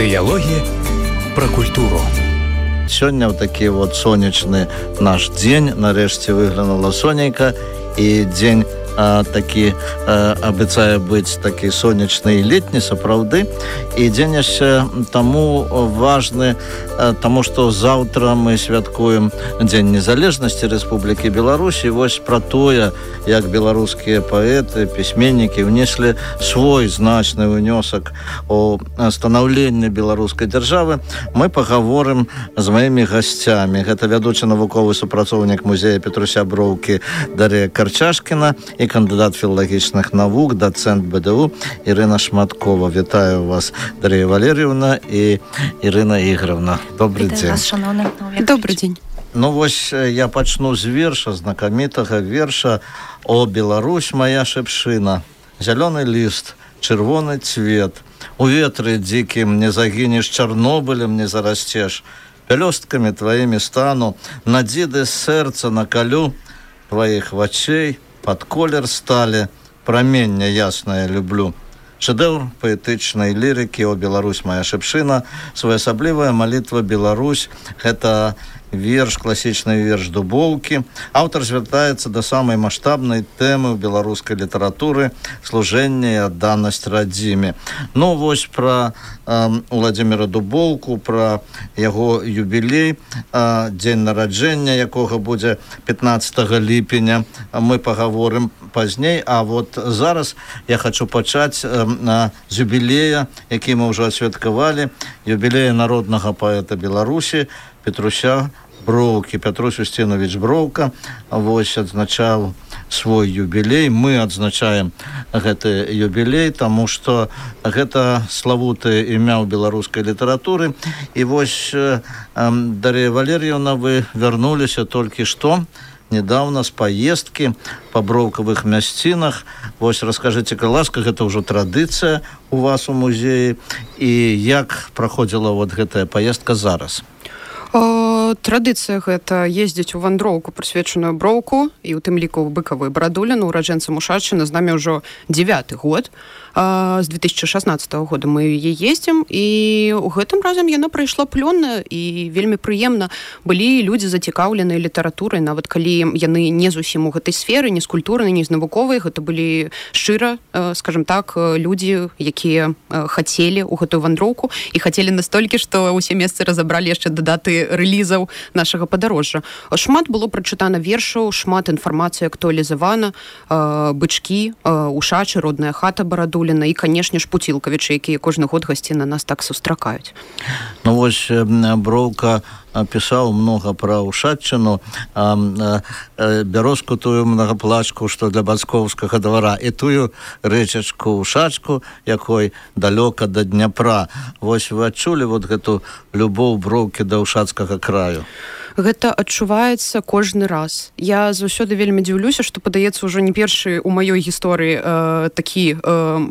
Дыялогі пра культуру. Сёння ў такі сонечны наш дзень нарэшце выглянула сонейка, і дзень такі абяцае быць такі сонечны і летні сапраўды. І дзень яшчэ таму важны, таму што заўтра мы святкуем Дзень незалежнасці Рэспублікі Беларусь. І вось пра тое, як беларускія паэты, пісьменнікі ўнеслі свой значны ўнёсак у станаўленне беларускай дзяржавы, мы пагаворым з маімі гасцямі. Гэта вядучы навуковы супрацоўнік музея Петруся Броўкі Дар'я Карчашкіна і кандыдат філалагічных навук, дацэнт БДУ Ірына Шматкова. Вітаю вас, Дар'я Валерьевна і Ірына Ігоровна. Добрый дзень. Добрый дзень. Ну вось я пачну з верша, знакамітага верша «О, Беларусь, моя шэпшына, зялёны ліст, чырвоны цвет, у ветры дзікім не загінеш, Чарнобылем не зарасцеш, пялёсткамі тваімі стану, на дзіды сэрца накалю, тваіх вачэй пад колер сталі, прамення яснае люблю». Шэдэўр паэтычнай лірыкі «О, Беларусь, моя шэпшына», своеасаблівая малітва «Беларусь». Гэта верш, класічны верш Дубоўкі. Аўтар звяртаецца да самай маштабнай тэмы ў беларускай літаратуры служэнне і адданасць радзіме. Ну вось пра Уладзіміра Дубоўку, пра яго юбілей, дзень нараджэння якога будзе 15 ліпеня, мы пагаворым пазней. А вот зараз я хачу пачаць з юбілея, які мы ўжо асвяткавалі, юбілея народнага паэта Беларусі Петруся Броўкі. Петрусь Устинович Броўка вось адзначаў свой юбілей. Мы адзначаем гэты юбілей, таму што гэта славутае імя ў беларускай літаратуры. І вось, Дар'я Валерьевна, вы вярнуліся толькі што недавно з паездкі па броўкавых мясцінах. Вось раскажыце, калі ласка, гэта ўжо традыцыя у вас у музеі, і як праходзіла вот гэтая паездка зараз? Традыцыя гэта ездзіць у вандроўку, прысвечаную броўку, і ў тым ліку ў быкавую брадуліну, ураджэнцам Ушаччыны. З намі ўжо 9-й год. З 2016 года мы яе ездзім, і ў гэтым разам яна прайшла плённа і вельмі прыемна. Былі людзі зацікаўленыя літаратурай, нават калі яны не зусім у гэтай сферы, не з культурнай, не з навуковай. Гэта былі шчыра, скажем так, людзі, якія хацелі ў гэтую вандроўку і хацелі настолькі, што ўсе месцы разабралі яшчэ да даты рэлізаў нашага падарожжа. Шмат было прачытана вершаў, шмат інфармацыі актуалізавана, бычкі, Ушачы, родная хата Барадуліна і, канешне ж, Пуцілкавічы, якія кожны год гасці на нас так сустракаюць. Ну вось Броўка пісаў многа пра Ушаччыну, бярозку тую многаплачку, што для бацькоўскага двара, і тую рэчачку Ушачку, якой далёка да Дняпра. Вось вы адчулі вот гэту любоў Броўкі да Ушацкага краю? Гэта адчуваецца кожны раз. Я заўсёды вельмі дзіўлюся, што, падаецца, ўжо не першы ў маёй гісторыі такі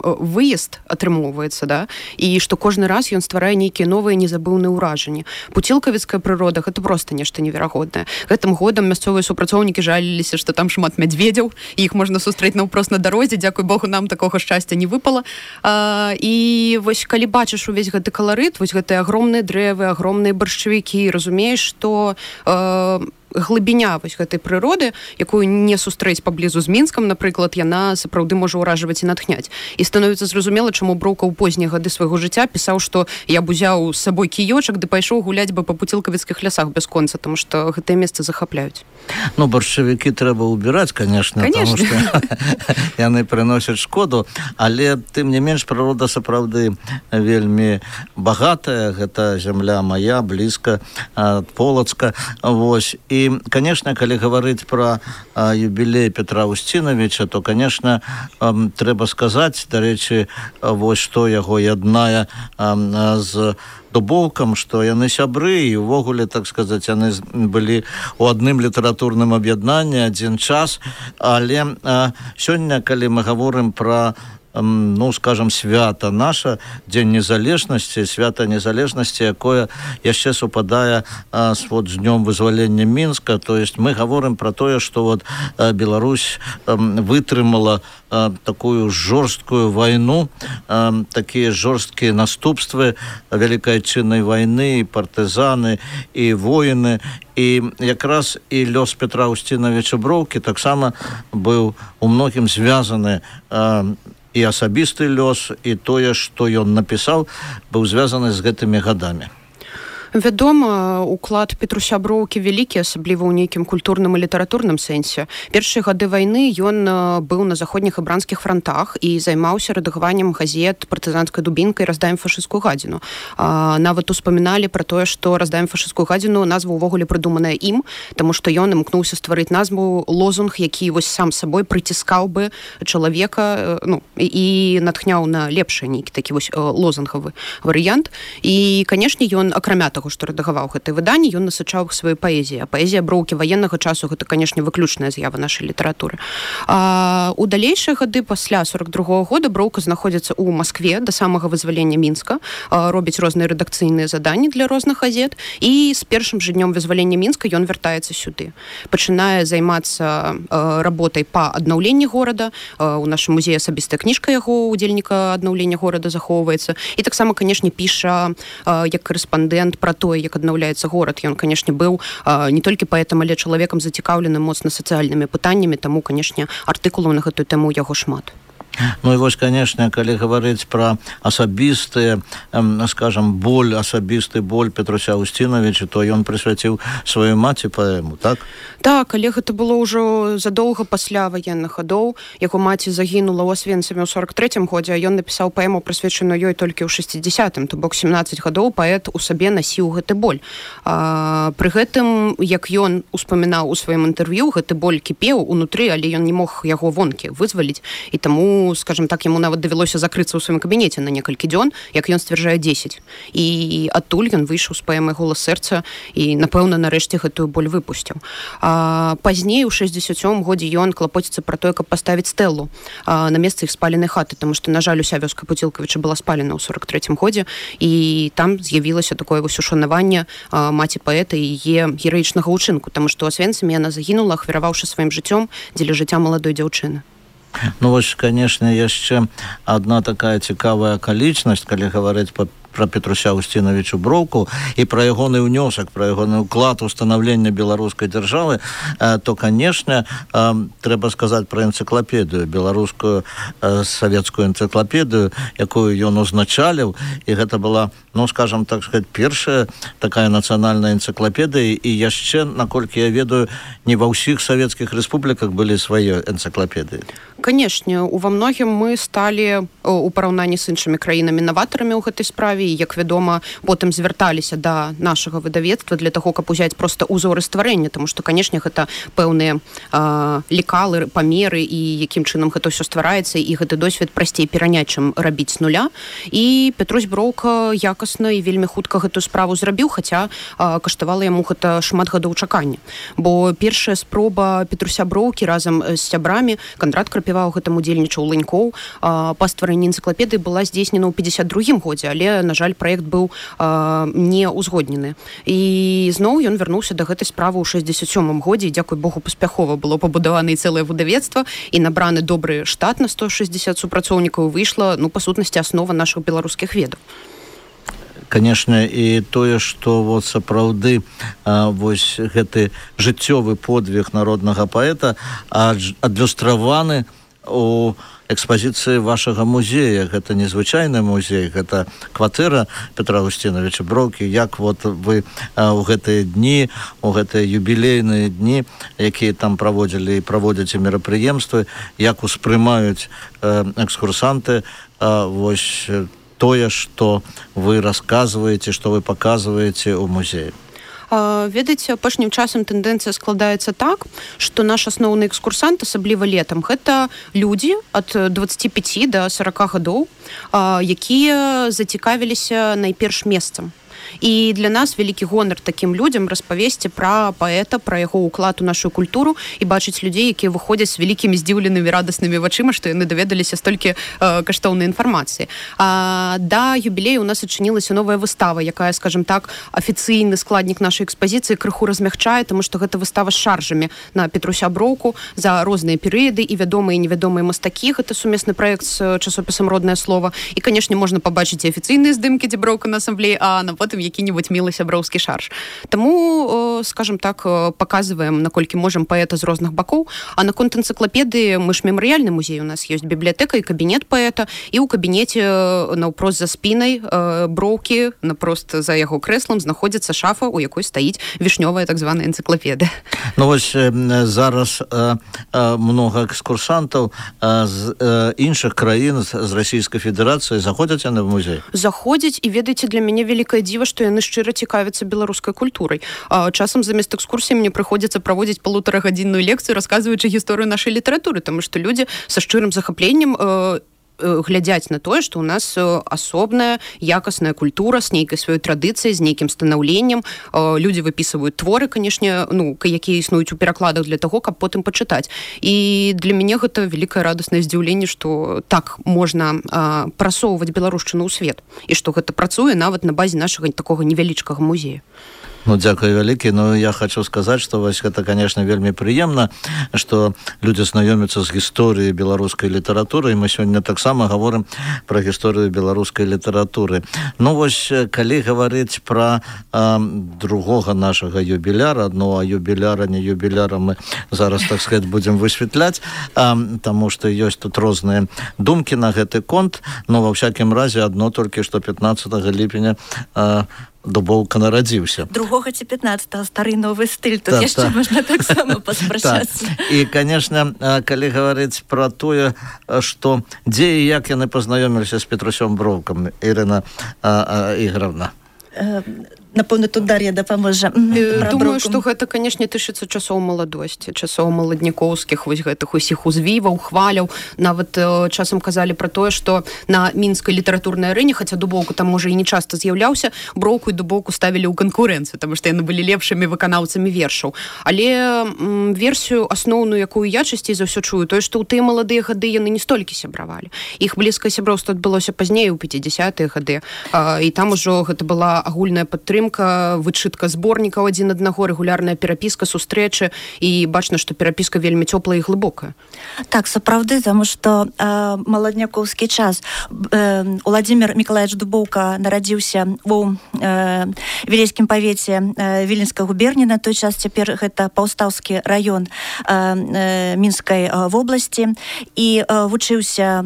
выезд атрымоўваецца, да? І што кожны раз ён стварае нейкія новыя незабыўныя ўражанні. Пуцілкавіцкая прырода — гэта проста нешта неверагоднае. Гэтым годам мясцовыя супрацоўнікі жаліліся, што там шмат мядзведзяў, і іх можна сустрэць наўпрост на дарозе. Дзякуй Богу, нам такога шчасця не выпала. І вось калі бачыш увесь гэты каларыт, вось гэтыя агромныя дрэвы, агромныя баршчавікі, разумееш, што глыбіня вось гэтай прыроды, якую не сустрэць паблізу з Мінскам, напрыклад, яна сапраўды можа ўражваць і натхняць. І становіцца зразумела, чаму Броўка ў познія гады свайго жыцця пісаў, што я б узяў з сабой кіёчак ды пайшоў гуляць бы па пуцілкавіцкіх лясах бясконца, таму што гэтыя месцы захапляюць. Ну, баршчавікі трэба ўбіраць, конечно, таму што яны прыносяць шкоду, але тым не менш прырода сапраўды вельмі багатая. Гэта зямля мая, блізка ад Полацка. Вось. І, конечно, калі гаварыць пра юбілей Петра Устиновича, то, конечно, трэба сказаць, дарэчы, вось што яго яднае з Дубоўкам, што яны сябры, і ўвогуле, так сказаць, яны былі ў адным літаратурным аб'яднанні адзін час. Але сёння, калі мы гаворым пра ну, скажем, свята наша, Дзень незалежнасці, свята незалежнасці, якое яшчэ супадае з днём вызвалення Мінска. То есть мы гаворым про тое, што Беларусь вытрымала такую жорсткую вайну, такія жорсткія наступствы Вялікай Адчыннай вайны, і партызаны, і воіны. І якраз і лёс Петра Устиновича Броўкі таксама быў у многім звязаны, і асабісты лёс, і тое, што ён напісаў, быў звязаны з гэтымі гадамі. Вядома, уклад Петруся Броўкі вялікі, асабліва ў нейкім культурным і літаратурным сэнсе. Першыя гады вайны ён быў на заходніх і брандскіх франтах і займаўся рэдагаваннем газет партызанскай дубінкай «Раздаем фашысцкую гадзіну». Нават успаміналі пра тое, што «Раздаем фашысцкую гадзіну» назва ўвогуле прыдуманая ім, таму што ён імкнуўся стварыць назву, лозунг, які вось сам сабой прыціскаў бы чалавека, і натхняў на лепшы нейкі такі вось лозунгавы варыянт. І, канешне, ён, акрамя таго, што рэдагаваў гэтае выданне, ён насычаў іх сваёй паэзіяй. А паэзія Броўкі ваеннага часу гэта, канешне, выключная з'ява нашай літаратуры. У далейшыя гады пасля 42-го года Броўка знаходзіцца ў Маскве да самага вызвалення Мінска, робіць розныя рэдакцыйныя заданні для розных газет, і з першым жа днём вызвалення Мінска ён вяртаецца сюды. Пачынае займацца работай па аднаўленні горада. У нашым музеі асабістая кніжка яго, удзельніка аднаўлення горада, захоўваецца. І таксама, канешне, піша як корэспандэнт пра тое, як аднаўляецца горад. Ён, канешне, быў не толькі паэтам, але чалавекам зацікаўленым моцна сацыяльнымі пытаннямі, таму, канешне, артыкулаў на гэтую тэму яго шмат. Ну і вось, канешне, калі гаварыць пра асабістыя, скажам, асабісты боль Петруся Устиновича, то ён прысвяціў сваёй маці паэму, так? Так, але гэта было ўжо задоўга пасля ваенных гадоў. Яго маці загінула ў Асвенцаме ў 43-м годзе, а ён напісаў паэму, прысвечаную ёй толькі ў 60-м, то бок 17 гадоў паэт у сабе насіў гэты боль. Пры гэтым, як ён успамінаў у сваім інтэрв'ю, гэты боль кіпеў унутры, але ён не мог яго вонкі вызваліць, і таму, скажем так, яму нават давялося закрыцца ў сваім кабінеце на некалькі дзён, як ён сцвярджае 10. І адтуль ён выйшаў з паэмай «Голас сэрца» і, напэўна, нарэшце гэтую боль выпусціў. Пазней, у 67-м годзе, ён клапоціцца пра тое, каб паставіць стэлу на месцы іх спаленай хаты, таму што, на жаль, уся вёска Пуцілкавіча была спалена ў 43-м годзе, і там з'явілася такое вось ушанаванне маці паэта і яе гераічнага ўчынку, таму што ў Асвенцаме яна загінула, ахвяраваўшы сваім жыццём дзеля жыцця маладой дзяўчыны. Ну вось, канешне, яшчэ адна такая цікавая акалічнасць, калі гаварыць пра Петруся Устиновича Броўку і пра ягоны ўнёсак, пра ягоны ўклад у станаўлення беларускай дзяржавы, то, канешне, трэба сказаць пра энцыклапедыю, беларускую савецкую энцыклапедыю, якую ён узначаліў, і гэта была, ну, скажам так сказать, першая такая нацыянальная энцыклапедыя, і яшчэ, наколькі я ведаю, не ва ўсіх савецкіх рэспубліках былі свае энцыклапедыі. Канешне, ува многім мы сталі у параўнанні з іншымі краінамі-наватарамі ў гэтай справе, і, як вядома, потым звярталіся да нашага выдавецтва для таго, каб узяць проста ўзоры стварэння, таму што, канешне, гэта пэўныя лекалы, памеры, і якім чынам гэта ўсё ствараецца, і гэты досвед прасцей пераняць, чым рабіць з нуля. І Петрусь Броўка якасна і вельмі хутка гэтую справу зрабіў, хаця каштавала яму гэта шмат гадоў чакання. Бо першая спроба Петруся Броўкі разам з сябрамі, Кандрат Крапіваў гэтым удзельнічаў, Ланькоў, па стварэнні энцыклапедыі была здзейснена ў 52-м годзе, але, на жаль, праект быў не ўзгоднены. І зноў ён вярнуўся да гэтай справы ў 67-м годзе, і, дзякуй Богу, паспяхова было пабудавана і цэлае выдавецтва, і набраны добры штат на 160 супрацоўнікаў, выйшла, ну, па сутнасці, аснова нашых беларускіх ведаў. Канешне, і тое, што вот сапраўды вось гэты жыццёвы подвиг народнага паэта адлюстраваны у экспазіцыі вашага музея. Гэта незвычайны музей, гэта кватэра Петра Устиновича Броўкі. Як вот вы ў гэтыя дні, у гэтыя юбілейныя дні, якія там праводзілі і праводзяце мерапрыемствы, як успрымаюць экскурсанты вось тое, што вы расказваеце, што вы паказваеце ў музеі? Ведаеце, апошнім часам тэндэнцыя складаецца так, што наш асноўны экскурсант, асабліва летам, гэта людзі ад 25 да 40 гадоў, якія зацікавіліся найперш месцам. І для нас вялікі гонар такім людзям распавесці пра паэта, пра яго ўклад у нашу культуру і бачыць людзей, якія выходзяць з вялікімі здзіўленымі радаснымі вачыма, што яны даведаліся столькі каштоўнай інфармацыі. Да юбілею у нас адчынілася новая выстава, якая, скажем так, афіцыйны складнік нашай экспазіцыі крыху размягчае, таму што гэта выстава з шаржамі на Петруся Броўку за розныя перыяды і вядомыя і невядомыя мастакі. Гэта сумесны праект з часопісам «Роднае слово». І, канешне, можна пабачыць і афіцыйныя здымкі, дзе Броўка на асамблеі, а на потым які-небудзь мілы сяброўскі шарж. Таму, скажем так, паказваем, наколькі можам паэта з розных бакоў. А наконт энцыклапедыі мы ж мемарыяльны музей, у нас ёсць бібліятэка і кабінет паэта, і ў кабінеце наўпрост за спінай Броўкі, напрост за яго крэслам знаходзіцца шафа, у якой стаіць вішнёвая так званая энцыклапедыя. Ну вось зараз многа экскурсантаў з іншых краін, з Расійскай Федэрацыі заходзяць яны в музей? Заходзяць, і ведаеце, для мяне вялікае дзіва, што яны шчыра цікавяцца беларускай культурай. Часам замест экскурсіі мне прыходзіцца праводзіць 1,5-гадзінную лекцыю, расказваючы гісторыю нашай літаратуры, таму што людзі са шчырым захапленнем глядзяць на тое, што ў нас асобная якасная культура з нейкай сваёй традыцыяй, з нейкім станаўленнем. Людзі выпісваюць творы, канешне, якія існуюць у перакладах для таго, каб потым пачытаць. І для мяне гэта вялікае радаснае здзіўленне, што так можна прасоўваць беларушчыну ў свет. І што гэта працуе нават на базе нашага такога невялічкага музея. Ну, дзякуй вялікі. Ну, я хочу сказаць, што вось гэта, конечно, вельмі прыемна, што людзі знаёмяцца з гісторыяй беларускай літаратуры, і мы сёння таксама гаворым пра гісторыю беларускай літаратуры. Ну, вось, калі гаварыць пра другога нашага юбіляра, ну, а юбіляра, не юбіляра мы зараз, так сказать, будзем высветляць, таму што ёсць тут розныя думкі на гэты конт, но ва всякім разе адно толькі, што 15 ліпеня Дубоўка нарадзіўся. 2 ці 15 стары новы стыль, тут яшчэ можна таксама паспрачацца. І, канешне, калі гаварыць пра тое, што дзе і як яны пазнаёміліся з Петрусём Броўкам, Ірына Ігоровна? Напэўна, тут Дар'я дапаможа. Думаю, што гэта, канешне, тычыцца часоў маладосці, часоў маладнікоўскіх, вось гэтых усіх узвіваў, хваляў. Нават часам казалі пра тое, што на мінскай літаратурнай арэне, хаця Дубоўка там, можа, і не часта з'яўляўся, Броўку і Дубоўку ставілі ў канкурэнцыю, таму што яны былі лепшымі выканаўцамі вершаў. Але версію асноўную, якую я часцей за ўсё чую, тое, што ў тыя маладыя гады яны не столькі сябравалі. Іх блізкае сяброўства адбылося пазней, у 50-е гады. І там ужо гэта была агульная падтрымка, вычытка зборнікаў адзін аднаго, рэгулярная перапіска, сустрэчы, і бачна, што перапіска вельмі цёплая і глыбокая. Так, сапраўды, таму што маладнякоўскі час. Уладзімір Мікалаевіч Дубоўка нарадзіўся у Вілейскім павеце Віленскай губерні, на той час цяпер гэта Паўстаўскі раён Мінскай вобласці, і вучыўся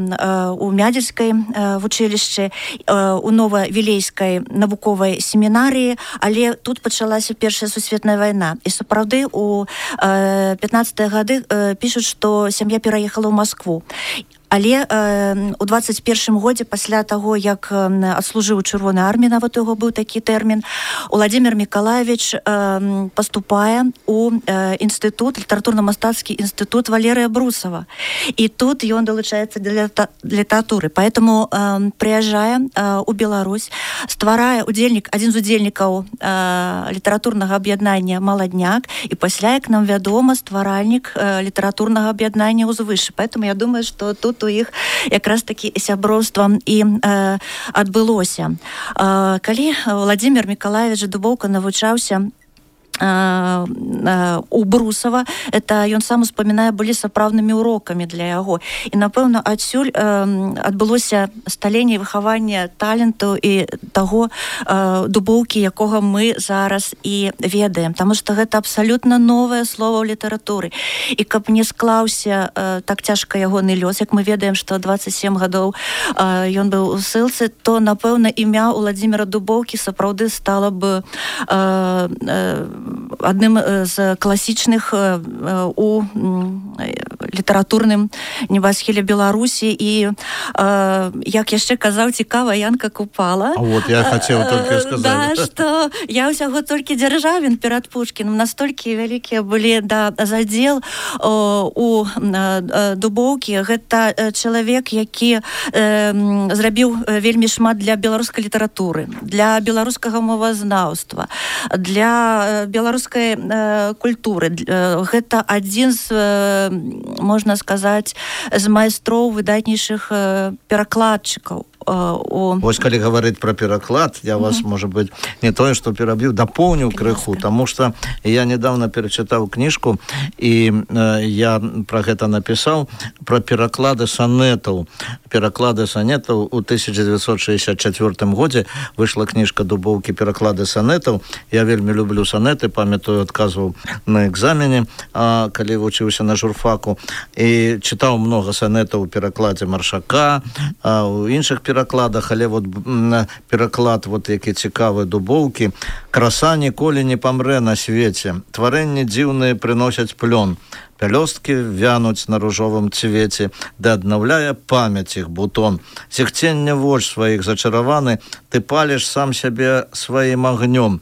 у Мядзельскай вучылішчы, у Нова-Вілейскай навуковай семінарыі, але тут пачалася Першая сусветная вайна. І сапраўды у 15-е гады пішуць, што сям'я пераехала ў Маскву. Але у 21-м годзе, пасля таго, як адслужыў у Чырвонай арміі, нават у яго быў такі тэрмін, Уладзімір Мікалаевіч паступае у інстытут, літаратурна-мастацкі інстытут Валерыя Брусава. І тут ён далучаецца для літаратуры. Поэтому прыязджае у Беларусь, стварае адзін з удзельнікаў літаратурнага аб'яднання «Маладняк», і пасля, як нам вядома, стваральнік літаратурнага аб'яднання «Узвыш». Поэтому я думаю, што тут у іх якраз такі сяброўства і адбылося. Калі Уладзімір Мікалаевіч Дубоўка навучаўся у Брусава, это ён сам успамінае, былі сапраўднымі урокамі для яго. І, напэўна, адсюль адбылося сталенне і выхаванне таленту і таго Дубоўкі, якога мы зараз і ведаем. Таму што гэта абсалютна новае слова ў літаратуры. І каб не склаўся так цяжка ягоны лёс, як мы ведаем, што 27 гадоў ён быў у ссылцы, то, напэўна, імя Уладзіміра Дубоўкі сапраўды стала б адным з класічных у літаратурным небасхіле Беларусі. І як яшчэ казаў цікава Янка Купала, а вот я хотел только сказать, да, что я ўсяго толькі Дзяржавін перад Пушкіным, настолькі вялікія былі задзел у Дубоўкі. Гэта чалавек, які зрабіў вельмі шмат для беларускай літаратуры, для беларускага мовазнаўства, для беларускай культуры. Гэта адзін з, можна сказаць, з майстроў выдатнейшых перакладчыкаў. Вось калі говорить про пераклад, я вас, может быть, не тое, что пераб'ю, дополню крыху, потому что я недавно перечитал книжку, и я про гэта написал, про пераклады сонетов. Пераклады сонетов у 1964 году вышла книжка Дубоўкі «Пераклады сонетов». Я вельмі люблю сонеты, памятаю, отказывал на экзамене, калі вучыўся на журфаку, и читал много сонетов у перакладе Маршака, у іншых перакладах, але вот пераклад, вот які цікавы Дубоўкі. «Краса ніколі не памрэ на свеце, тварэнні дзіўныя прыносяць плён, пялёсткі вянуць на ружовым цвеце, да аднаўляе памяць іх бутон. Зіхцення воч сваіх зачараваны, ты паліш сам сябе сваім агнём,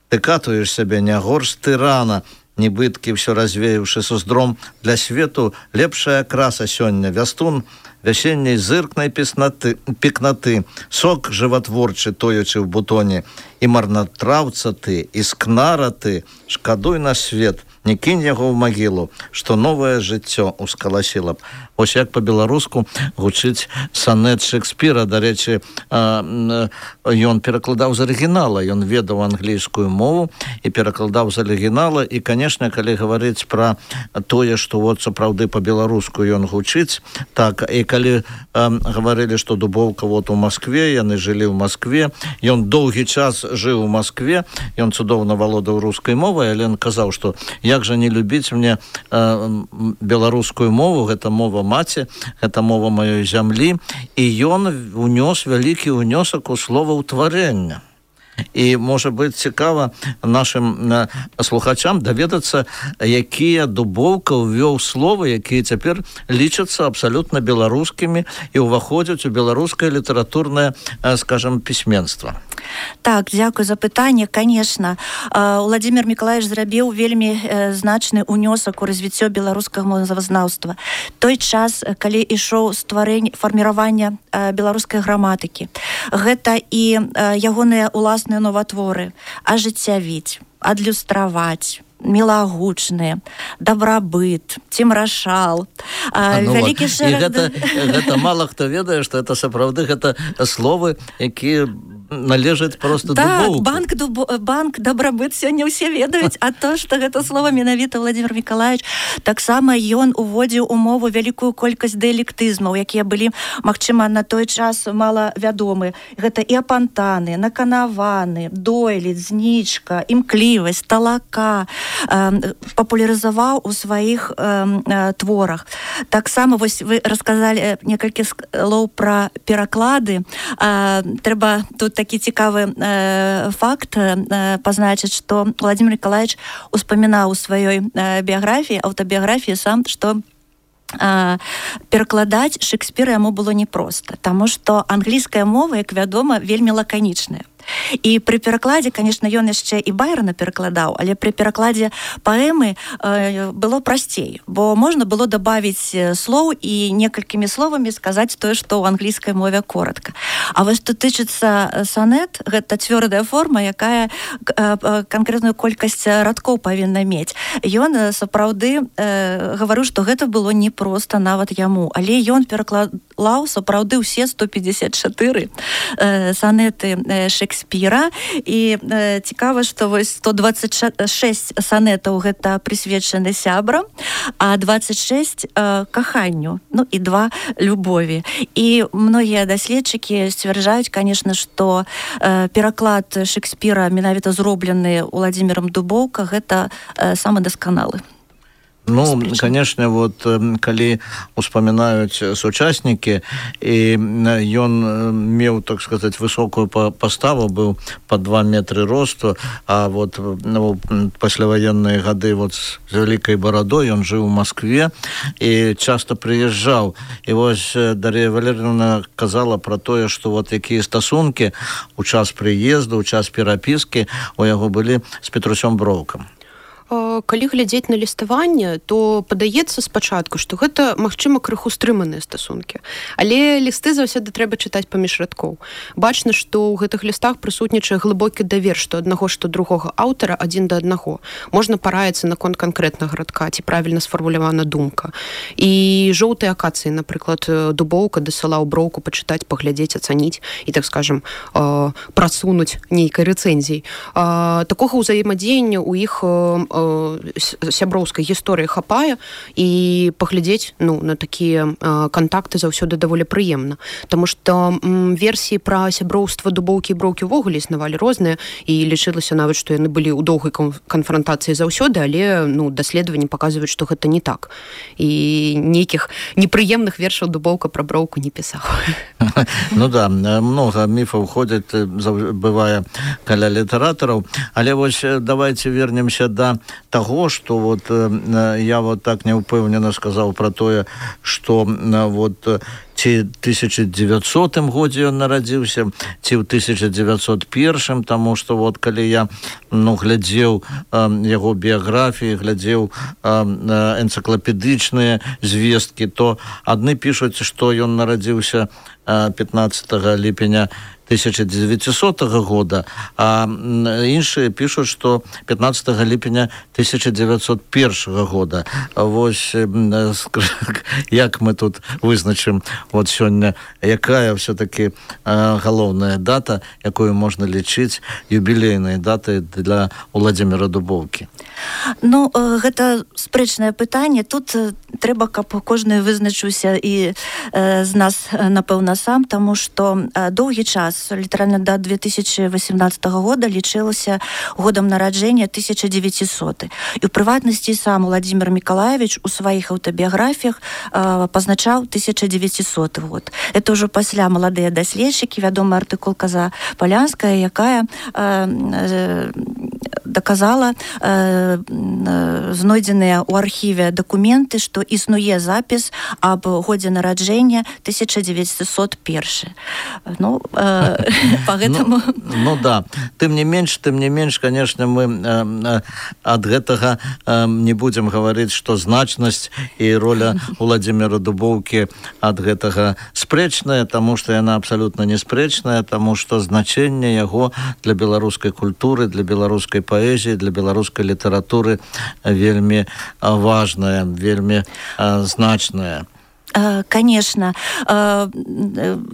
ты катуеш сябе не горш тырана, нібыткі ўсё развеюўшы суздром, для свету лепшая краса сёння, вястун вясенняй зыркнай пекнаты, сок жыватворчы тоючы ў бутоне, і марнатраўца ты, і скнара ты, шкадуй на свет, не кінь яго ў магілу, што новае жыццё ускаласіла б. Ось як па-беларуску гучыць сонет Шекспіра. Дарэчы, ён перакладаў з арыгінала, ён ведаў англійскую мову і перакладаў з арыгінала. І, канешне, калі гаварыць пра тое, што вот сапраўды па-беларуску ён гучыць, так, і калі гаварылі, што Дубоўка вот у Маскве, яны жылі ў Маскве, ён доўгі час жыў у Маскве, ён цудоўна валодаў рускай мовай, але ён казаў, што як жа не любіць мне беларускую мову, гэта мова маці, гэта мова маёй зямлі, і ён унёс вялікі ўнёсак у словаўтварэння. І, можа быць, цікава нашим слухачам даведацца, якія Дубоўка ўвёў словы, якія цяпер лічацца абсалютна беларускімі і ўваходзяць у беларускае літаратурнае, скажем, пісьменства. Так, дзякуй за пытанне. Конечно, Владимир Миколаевич зрабіў вельмі значны ўнёсак у развіццё беларускага мовазнаўства. Той час, калі ішоў фарміраванне беларускай граматыкі, гэта і ягоныя уласныя новатворы ажыццявіць, адлюстраваць, мілагучныя, дабрабыт, цімрашал, вялікі шэраг... Гэта мала хто ведае, што это сапраўды гэта словы, якія належаць просто Дубоўку. Так, банк дабрабыт сёння ўсе ведаюць, а то, што гэта слова менавіта Владимир Миколаевич, таксама ён уводзіў у мову вялікую колькасць дыялектызмаў, якія былі, магчыма, на той час мала вядомы. Гэта і апантаны, наканаваны, дойлід, знічка, імклівасць, талака, папулярызаваў у сваіх творах. Таксама, вось вы расказалі некалькі слоў пра пераклады. Трэба тут такі цікавы факт пазначыць, што Владимир Николаевич успамінаў у сваёй біяграфіі, аўтабіяграфіі сам, што перакладаць Шекспіра яму было непроста, таму што англійская мова, як вядома, вельмі лаканічная. І пры перакладзе, конечно, ён яшчэ і Байрона перакладаў, але пры перакладзе паэмы было прасцей, бо можна было дабавіць слоў і некалькімі словамі сказаць тое, што ў англійскай мове коротка. А вось што тычыцца сонет, гэта цвёрдая форма, якая канкрэтную колькасць радкоў павінна мець. Ён сапраўды гаварыў, што гэта было непроста нават яму, але ён перакладаў сапраўды ўсе 154 сонеты Шекспіра. І цікава, што вось 126 сонетаў гэта прысвечаны сябрам, а 26 каханню, ну і 2 любові. І многія даследчыкі сцвярджаюць, конечно, што пераклад Шекспіра менавіта зроблены Владимиром Дубоўка, гэта самы дасканалы. Ну, конечно, вот калі успамінаюць сучаснікі, і ён меў, так сказать, высокую паставу, быў по 2 метры росту, а вот пасляваенныя гады вот з вялікай барадой ён жыў у Москве і часто прыязджаў. І вось Дар'я Валерьевна казала про тое, што вот якія стасункі у час прыезду, у час перапіскі у яго былі з Петрусём Броўкам. Калі глядзець на ліставанне, то падаецца спачатку, што гэта, магчыма, крыху стрыманыя стасункі. Але лісты заўсёды трэба чытаць паміж радкоў. Бачна, што ў гэтых лістах прысутнічае глыбокі давер што аднаго, што другога аўтара адзін да аднаго. Можна параіцца наконт канкрэтнага радка, ці правільна сфармулявана думка. І жоўтыя акацыі, напрыклад, Дубоўка дасылаў Броўку пачытаць, паглядзець, ацаніць і, так скажам, прасунуць нейкай рэцэнзіяй. Такога ўзаемадзеяння ў іх сяброўскай гісторыі хапае, і паглядзець на такія кантакты заўсёды даволі прыемна. Таму што версіі пра сяброўства Дубоўкі і Броўкі ўвогуле існавалі розныя, і лічылася нават, што яны былі ў доўгай канфрантацыі заўсёды, але даследаванні паказваюць, што гэта не так. І нейкіх непрыемных вершаў Дубоўка пра Броўку не пісаў. Ну да, много міфаў ходзяць, бывае каля літаратараў, але вось давайте вернемся да того, что вот я вот так неупэўнена сказаў про тое, что вот ці 1900 годзе ён нарадзіўся, ці ў 1901, таму што вот калі я глядзеў яго біяграфіі, глядзеў энцыклапедычныя звесткі, то адны пішуць, што ён нарадзіўся 15 ліпеня 1900 года, а іншыя пішуць, што 15 ліпеня 1901 года. Вось як мы тут вызначым вот сёння, якая все-таки галоўная дата, якую можна лічыць юбілейнай датай для Уладзіміра Дубоўкі? Ну, гэта спрэчнае пытанне. Тут трэба, каб кожны вызначыўся і з нас, напэўна, сам, таму што доўгі час, літаральна да 2018 года, лічылася годам нараджэння 1900. І ў прыватнасці сам Уладзімір Мікалаевіч у сваіх аўтабіяграфіях пазначаў 1900 год. Это ўжо пасля маладыя даследчыкі, вядомы артыкул Каза Палянская, якая даказала знойдзеныя ў архіве дакументы, што існуе запіс аб годзе нараджэння 1901. Ну, поэтому... Ну да, тым не менш, конечно, мы ад гэтага не будем гаварыць, што значнасць і роля Уладзіміра Дубоўкі ад гэтага спрэчная, таму што яна абсалютна не спрэчная, таму што значэнне яго для беларускай культуры, для беларускай паэзіі, для беларускай літаратуры вельмі важная, вельмі значная. Конечно,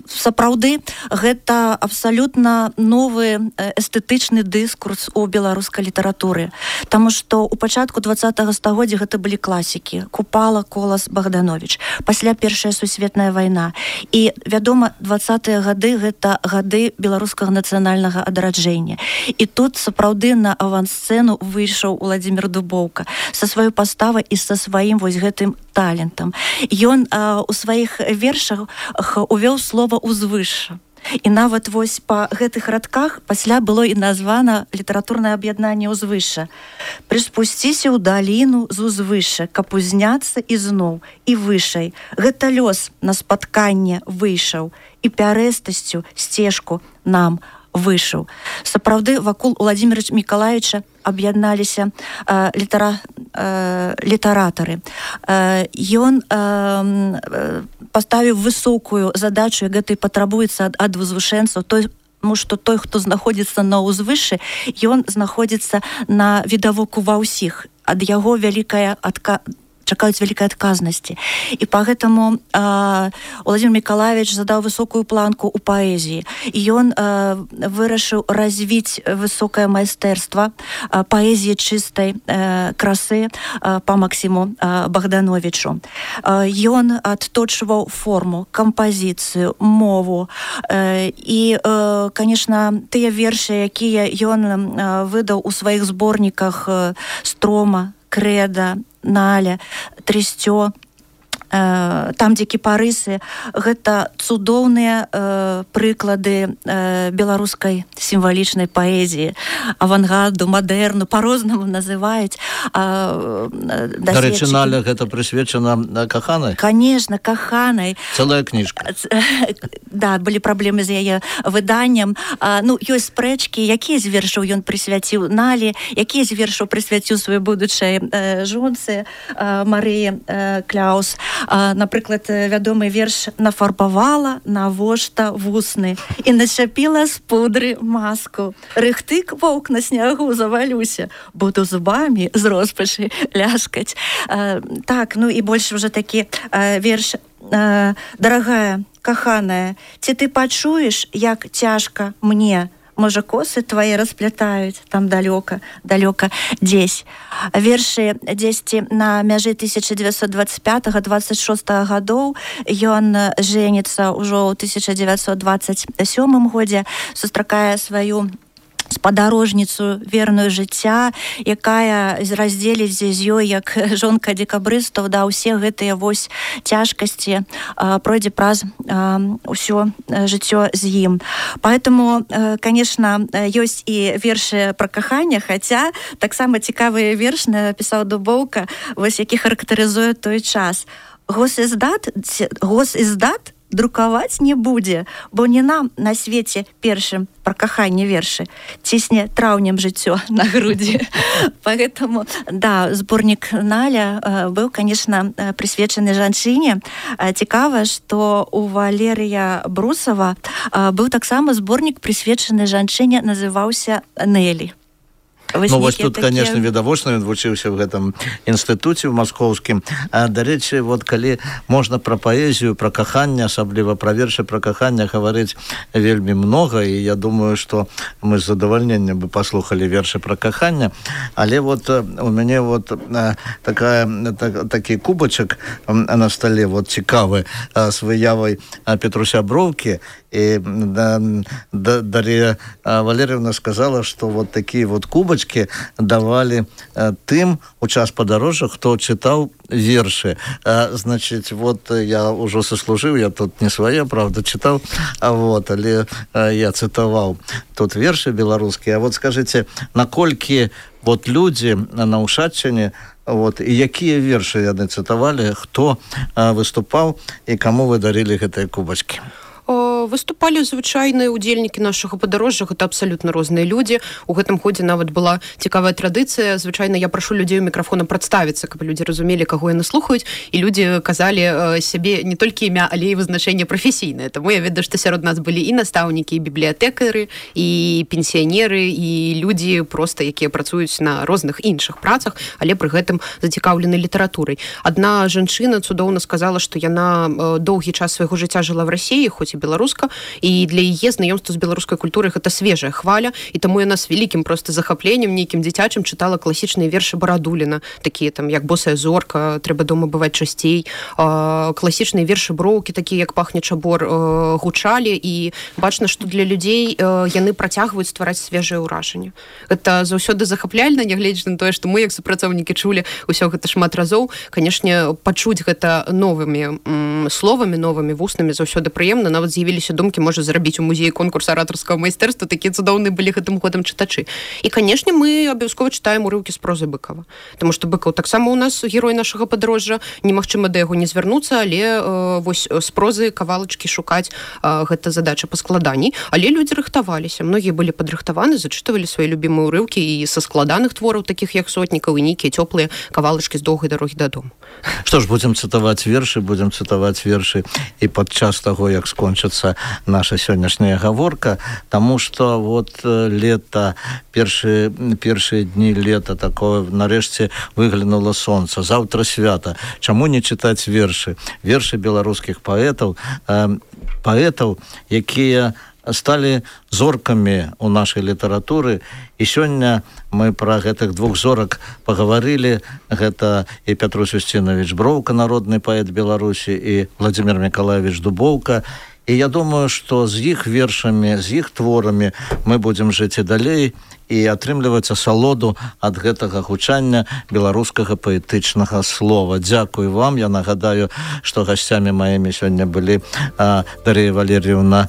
сапраўды гэта абсалютна новы эстэтычны дыскурс у беларускай літаратуры, таму што ў пачатку 20-го стагоддзя гэта былі класікі: Купала, Колас, Богданович. Пасля Першая сусветная вайна. І, вядома, 20-е гады гэта гады беларускага нацыянальнага адраджэння. І тут сапраўды на авансцэну выйшаў Уладзімір Дубоўка са сваёй паставай і са сваім вось гэтым талентам. Ён у сваіх вершах увёў слова «узвышша». І нават вось па гэтых радках пасля было і названа літаратурнае аб'яднанне «Узвышша». «Прыспусціся ў даліну з узвышша, каб узняцца ізноў і вышэй. Гэта лёс на спатканне выйшаў і пярэстасцю сцежку нам вышаў». Сапраўды, вакол Уладзіміра Мікалаевіча аб'ядналіся літаратары. Ён паставіў высокую задачу, як гэта і патрабуецца ад узвышэнцаў, тому што той, хто знаходзіцца на ўзвышшы, ён знаходзіцца на відавоку ва ўсіх. Ад яго чакаюць вялікай адказнасці. І пагэтаму Уладзімір Мікалаевіч задаў высокую планку ў паэзіі. І ён вырашыў развіць высокае майстэрства паэзіі чыстай красы па Максіму Богдановичу. Ён адточваў форму, кампазіцыю, мову. І, конечно, тыя вершы, якія ён выдаў у сваіх зборніках «Строма», «Крэда», Наля, Трысцё, там, дзе кіпарысы, гэта цудоўныя прыклады беларускай сімвалічнай паэзіі, авангарду, мадэрну, па-рознаму называюць. Дарэчы, Наля, гэта прысвечана каханай? Конечно, каханай. Цэлая кніжка. Да, былі праблемы з яе выданнем. Ну, ёсць спрэчкі, якія з вершаў ён прысвяціў Налі, якія з вершаў прысвяціў сваёй будучай жонцы Марыі Кляус. Напрыклад, вядомы верш «Нафарбавала навошта вусны і начапіла з пудры маску. Рыхтык воўк на снягу завалюся, буду зубамі з роспачы ляскаць». Так, ну і больш уже такі верш «Дарагая, каханая, ці ты пачуеш, як цяжка мне? Можа, косы твае расплятаюць там далёка дзесь». Вершы дзесьці на мяжы 1925-26 гадоў. Ён жэніцца ўжо ў 1927 годзе, сустракае сваю спадарожніцу верную жыцця, якая раздзеліць з ёй як жонка дзекабрыстаў, да, ўсе гэтыя вось цяжкасці пройдзе праз ўсё жыццё з ім. Поэтому, конечно, ёсць і вершы пра каханне, хаця таксама цікавыя верш напісаў Дубоўка, вось які характарызуе той час. Госиздат друкаваць не будзе, бо не нам на свеце першым пра каханне вершы цісне траўнем жыццё на грудзі. Поэтому, да, зборнік Наля быў, конечно, прысвечаны жанчыне. Цікава, што у Валерыя Брусава быў таксама зборнік прысвечаны жанчыне, называўся Нелі. Ну, вось тут, конечно, відавочна, ён вучыўся ў гэтым інстытуце ў маскоўскім. Дарэчы, вот калі можна пра паэзію, пра каханне, асабліва пра вершы пра каханне гаварыць вельмі многа, і я думаю, што мы з задавальненнем бы паслухалі вершы пра каханне, але вот у мяне вот такі кубачак на стале, вот цікавы, з выявай Петруся Броўкі, і Дар'я Валерьевна сказала, што вот такія вот кубачкі давалі тым у час падарожжа, хто чытаў вершы. Значит, вот я ўжо сослужыў, я тут не свае, правда, чытаў, вот, але я цытаваў тут вершы беларускія. А вот скажите, наколькі вот людзі на Ушаччыне, вот, і якія вершы яны цытавалі, хто выступаў і каму вы дарылі гэтыя кубачкі? Выступалі звычайныя удзельнікі нашага падарожжа, гэта абсалютна розныя людзі. У гэтым годзе нават была цікавая традыцыя. Звычайна я прашу людзей у мікрафона прадставіцца, каб людзі разумелі, каго яны слухаюць, і людзі казалі сябе не толькі імя, але і вызначэнне прафесійнае. Таму я ведаю, што сярод нас былі і настаўнікі, і бібліятэкары, і пенсіянеры, і людзі проста, якія працуюць на розных іншых працах, але пры гэтым зацікаўлены літаратурай. Адна жанчына цудоўна сказала, што яна доўгі час свайго жыцця жыла в Расіі, хоць і беларуска, і для яе знаёмства з беларускай культурай гэта свежая хваля, і таму яна з вялікім проста захапленнем, нейкім дзіцячым чытала класічныя вершы Барадуліна, такія там як «Босая зорка», «Трэба дома бываць часцей», класічныя вершы Броўкі, такія як «Пахне чабор», гучалі, і бачна, што для людзей яны працягваюць ствараць свежае ўражанне. Гэта заўсёды захапляльна, нягледзячы на тое, што мы як супрацоўнікі чулі ўсё гэта шмат разоў. Канешне, пачуць гэта новымі словамі, новымі вуснамі заўсёды прыемна. Нават з'явіліся думкі, можа зрабіць у музеі конкурс аратарскага майстэрства, такія цудоўныя былі гэтым годам чытачы. І, канешне, мы абавязкова чытаем урыўкі з прозы Быкава. Таму што Быкаў таксама у нас герой нашага падарожжа, немагчыма да яго не звярнуцца, але вось з прозы кавалачкі шукаць гэта задача паскладаней. Але людзі рыхтаваліся, многія былі падрыхтаваны, зачытывалі свае любімыя урыўкі і са складаных твораў, такіх як «Сотнікаў», і нейкія цёплыя кавалачкі з «Доўгай дарогі дадому». Што ж, будзем цытаваць вершы і падчас таго, як скончыцца наша сённяшняя гаворка, таму што вот лета, першыя дні лета такое, нарэшце выглянула сонца, заўтра свята. Чаму не чытаць вершы? Вершы беларускіх паэтаў, якія сталі зоркамі ў нашай літаратуры, і сёння мы пра гэтых двух зорак пагаварылі. Гэта і Пятрусь Устинович Броўка, народны паэт Беларусі, і Владимир Миколаевич Дубоўка. і я думаю, што з іх вершамі, з іх творамі мы будзем жыць і далей і атрымліваць асалоду ад гэтага гучання беларускага паэтычнага слова. Дзякуй вам. Я нагадаю, што гасцямі маімі сёння былі Дар'я Валерьевна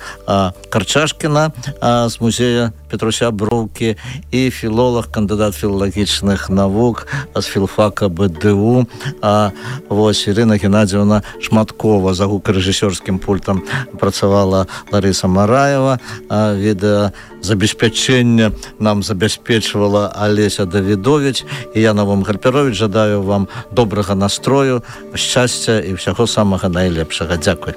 Карчашкіна з музея Петруся Броўкі і філолог, кандыдат філалагічных навук з філфака БДУ Ірына Геннадзіевна Шматкова. За гукарэжысёрскім пультам працавала Ларыса Мараева. Відэазабеспячэнне нам забяспечвала Алеся Давідович, і я, Навум Гарперович, жадаю вам добрага настрою, шчасця і ўсяго самага найлепшага. Дзякуй.